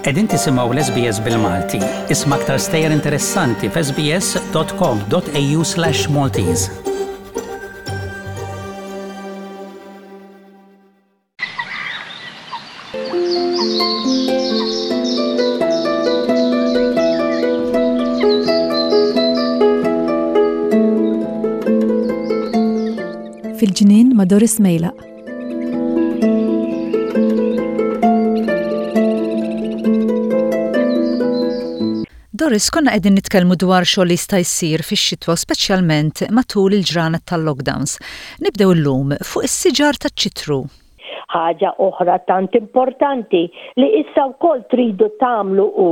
Qegħdin tisimgħu l-SBS bil-Malti. Isma' aktar stejjer interessanti f'sbs.com.au/Maltese. Fil-ġnien ma' Doris Mejlaq. Doris, konna qegħdin nitkellmu dwar xogħol li jista' jsir fix-xitwa speċjalment matul il-ġranet tal-lockdowns. Nibdew illum fuq is-siġar taċ-ċitru. Ħaġa oħra tant importanti li issa wkoll tridu tagħmlu hu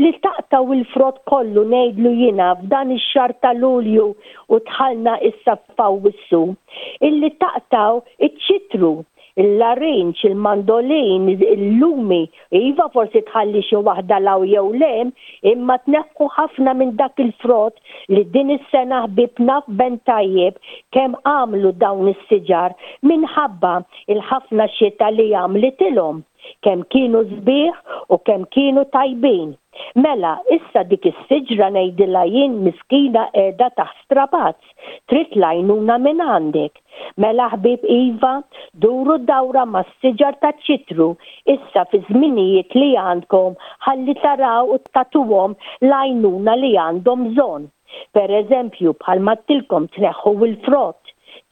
li taqtgħu il-frott kollu ngħidlu jiena f'dan ix-xahar ta' Lulju u dħalna issa f'Awwissu, illi taqtgħu iċ-ċitru, il-larinġ, il-mandolin, il-lumi, iva forsi tħalli xi waħda 'l hawn jew 'l hemm, imma tneħħu ħafna minn dak il-frott li din is-sena ħbieb naf ben tajjeb kemm għamlu dawn is-siġar minħabba l-ħafna xita li għamlitilhom. Kemm kienu sbieħ u kemm kienu tajbin. Mela, issa dik is-siġra ngħidilha jien miskina qiegħda taħt strapazz, trid l-għajnuna mingħandek. Mela ħbieb iva, duru dawra mas-siġar taċ-ċitru issa fiż-żminijiet li għandkom ħalli taraw u tagħtuhom l-għajnuna li għandhom bżonn. Per eżempju, bħalma għedtilkom tneħħu l-frott,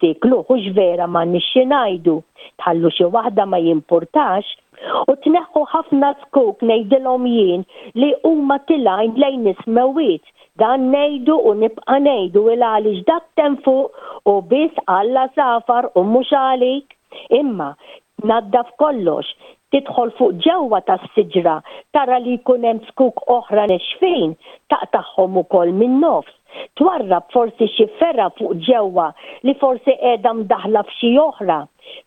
tiekluh hux vera m'għandniex xi ngħidu, tħallu xi waħda ma jimpurtax, u tneħħu ħafna zkuk ngħidilhom jien li huma tilgħin lejn is-smewwiet. Dan ngħidu u nibqa' ngħidu il għaliex dak t'hemm fuq hu biss għall-għasafar u mhux għalik. Imma, tnaddaf kollox, tidħol fuq ġewwa tas-siġra tara li jkun hemm zkuk oħra nexfin, taqtagħhom ukoll min-nofs. Twarrab forsi xi fergħa fuq ġewwa li forsi qiegħda mdaħħla f'xi oħra.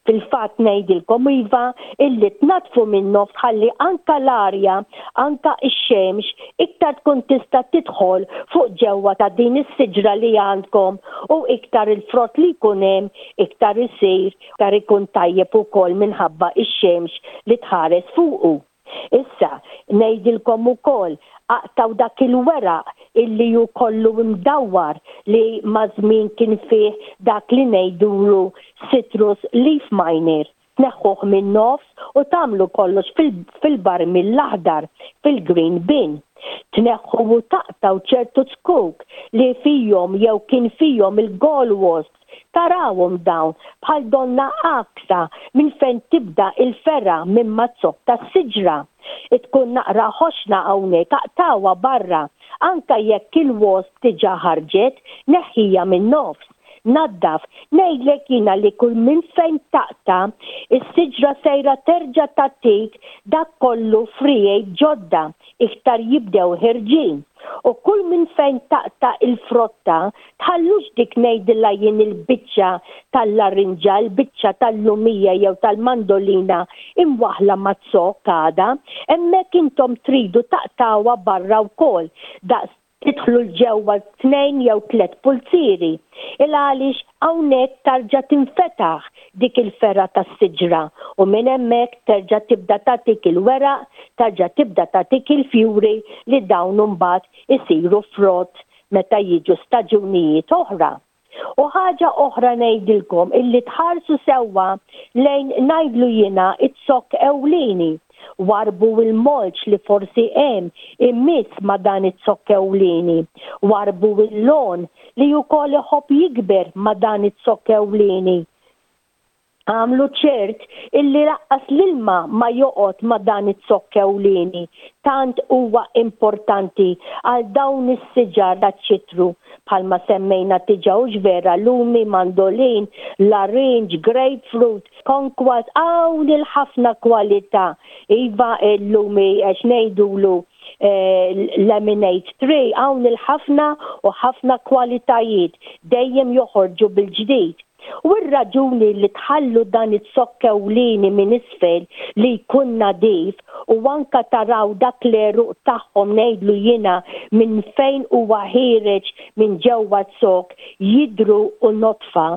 Fil-fatt ngħidilkom iva illi tnaddfu min-nofs ħalli anka l-arja, anka x-xemx iktar tkun tista' tidħol fuq ġewwa ta' din is-siġra li għandkom u iktar il-frott li jkun hemm iktar isir, iktar ikun tajjeb ukoll minħabba x-xemx li tħares fuqu. Issa, ngħidilkom ukoll, aqtgħu dak il-weraq illi hu kollu mdawwar li maż-żmien kien fih dak li ngħidulu citrus leaf miner. Tneħħuh min-nofs u tagħmlu kollox fil-barmil l-aħdar, fil-green bin. Tneħħu u taqtgħu ċertu zkuk li fihom jew kien fihom il-gall wasps Tarawhom dawn bħal donnha għaksa minn fejn tibda il-fergħa minn maz-zokk tas-siġra. Tkun naqra ħoxna hawnhekk aqtgħuha barra, anke jekk il-wasp diġà ħarġet, neħħiha min-nofs. Naddaf, ngħidlek jiena li kull minn fejn taqta', is-siġra sejra terġa' tagħtik dak kollu friegħi ġodda iktar jibdew ħerġin. U kull minn fejn taqta' il-frotta, tħallux dik ngħidilha jien il-biċċa tal-larinġa, il-biċċa tal-lumija jew tal-mandolina imwaħħla maz-zokk għada, hemmhekk intom tridu taqtgħuha barra wkoll, daqs tidħlu 'l ġewwa tnejn jew tlett pulzieri. Il għaliex hawnhekk tarġa' tinfetaħ dik il-fergħa tas-siġra u minn hemmhekk terġa' tibda tagħtik il-weraq, tarġa' tibda tagħtik il-fjuri li dawn imbagħad isiru frott meta jiġu staġunijiet oħra. U ħaġa oħra ngħidilkom illi tħarsu sewwa lejn ngħidlu jiena z-zokk ewlieni. Warrbu l-mulch li forsi hemm imiss ma' dan iz-zokk ewlieni. Warrbu l-lawn li wkoll iħobb jikber ma' dan iz-zokk ewlieni. Agħmlu ċert illi laqqas l-ilma ma joqgħod ma' dan iz-zokk ewlieni, tant huwa importanti għal dawn is-siġar taċ-ċitru, bħalma semmejna diġà hux vera, lumi, mandolin, larinġ, grapefruit, konkwat, hawn il-ħafna kwalità. Iva l-lumi x'ngħidulu lemonade tree, hawn il-ħafna u ħafna kwalitajiet dejjem joħorġu bil-ġdid. U r-raġuni li tħallu dan iz-zokk ewlieni minn isfel li jkun nadif u anka taraw dak l-għeruq tagħhom ngħidlu jiena minn fejn huwa ħiereġ minn ġewwa z-zokk jidhru u nodfa,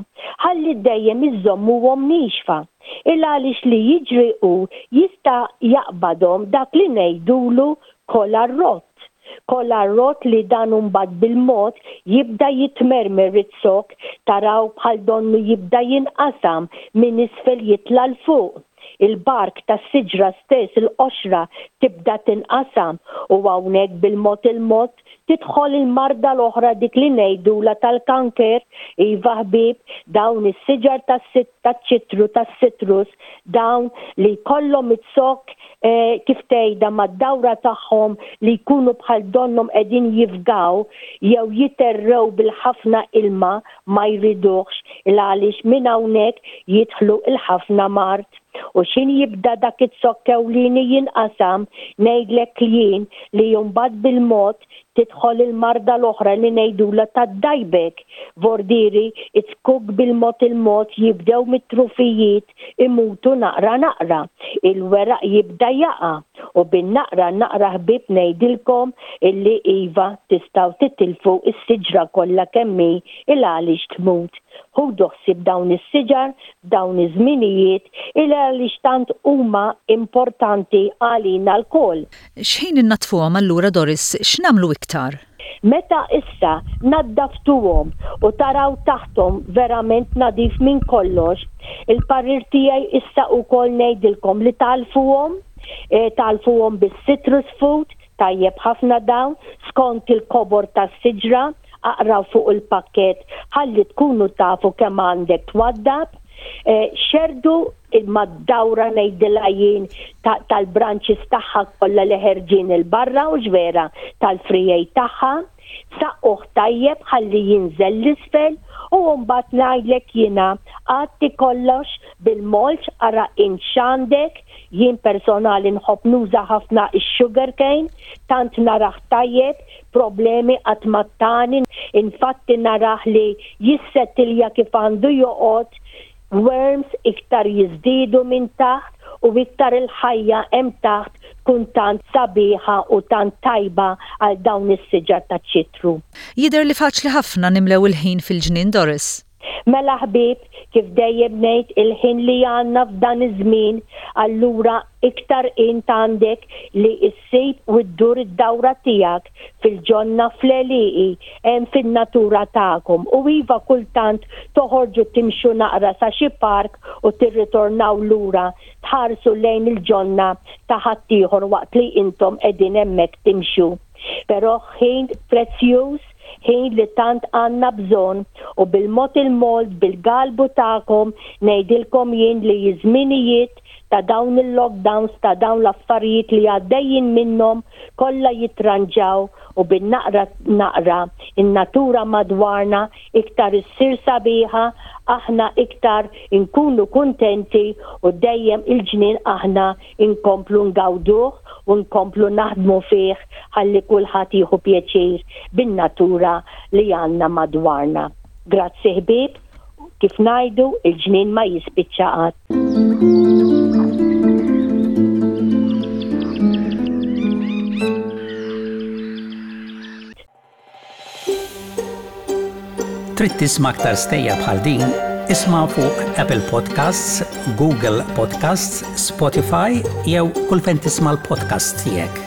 ħalli dejjem iżżommuhom niexfa. Il għaliex li jiġri hu jista' jaqbadhom dak li ngħidulu kolar rott. Kolar rott li dan imbagħad bil-mod jibda jitmermer iz-zokk taraw bħal donnu jibda jinqasam minn isfel jitla' 'l fuq. Il-bark tas-siġra stess, il-qoxra, tibda tinqasam u hawnhekk bil-mod il-mod tidħol il-marda l-oħra dik li ngħidulha tal-kanker. Iva ħbieb, dawn is-siġar taċ-ċitru, tas-citrus, dawn li jkollhom iz-zokk kif tgħidha mad-dawra tagħhom li jkunu bħal donnhom qegħdin jifgaw jew jiterrew bil-ħafna ilma ma jriduhx il għaliex minn hawnhekk jidħlu l-ħafna mard. U x'ħin jibda dak iz-zokk ewlieni jinqasam ngħidlek jien li mbagħad bil-mod tidħol il-marda l-oħra li ngħidulha tad-dieback, vordieri iz-zkuk bil-mod il-mod jibdew mit-trufijiet imutu naqra naqra, il-weraq jibda jaqa' u bin-naqra naqra ħbieb ngħidilkom illi iva tistgħu titilfu s-siġra kollha kemm hi il-għaliex tmut. Ħudu ħsieb dawn is-siġar f'dawn iż-żminijiet il-għaliex tant huma importanti għalina lkoll. X'ħin innaddfuhom allura Doris x'nagħmlu iktar? Meta issa naddaftuhom u taraw taħthom verament nadif minn kollox, il-parir tiegħi issa ukoll ngħidilkom li tagħlfuhom, tagħlfuhom bis-citrus food, tajjeb ħafna dawn, skont il-kobor tas-siġra, aqraw fuq il-pakkett ħalli tkunu tafu kemm għandek twaddab. Xerrdu mad-dawra ngħidilha jien tal-branches tagħha kollha li ħerġin 'il barra hux vera tal-friegħi tagħha, saqquh tajjeb ħalli jinżel 'l isfel u mbagħad ngħidlek jiena għatti kollox bil-mulch ara int x'għandek, jien personali nħobb nuża ħafna x-sugar cane tant narah tajjeb, problemi qatt ma tani, infatti narah li jissettilja kif għandu joqgħod, Worms iktar jiżdiedu minn taħt u iktar il-ħajja hemm taħt tkun tant sabiħa u tant tajba għal dawn is-siġar taċ-ċitru. Jidher li faċli ħafna nimlew il-ħin fil-ġnien Doris. Mela ħbieb, kif dejjem ngħid il-ħin li għandna f'dan iż-żmien, allura iktar int għandek li ssib u ddur id-dawra tiegħek fil-ġonna fl-għelieqi hemm fin-natura tagħkom u iva kultant toħorġu timxu naqra sa xi park u tirritornaw lura tħarsu lejn il-ġonna ta' ħaddieħor waqt li intom qegħdin hemmhekk timxu. Però ħin prezzjuż, ħin li tant għandna bżonn u bil-mod il-mod bil-galbu tagħkom ngħidilkom jien li ż-żminijiet ta' dawn il-lockdowns, ta' dawn l-affarijiet li għaddejjin minnhom kollha jitranġaw u bin-naqra naqra in-natura madwarna iktar issir sabiħa, aħna iktar inkunu kuntenti u dejjem il-ġnien aħna nkomplu ngawduh u nkomplu naħdmu fih ħalli kulħadd jieħu pjaċir bin-natura li għandna madwarna. Grazzi ħbieb, kif ngħidu, il-ġnien ma jispiċċa qatt. Trid tisma' aktar stejjer bħal din? Isma' fuq Apple Podcasts, Google Podcasts, Spotify jew kull fejn tisma' l-podcasts tiegħek.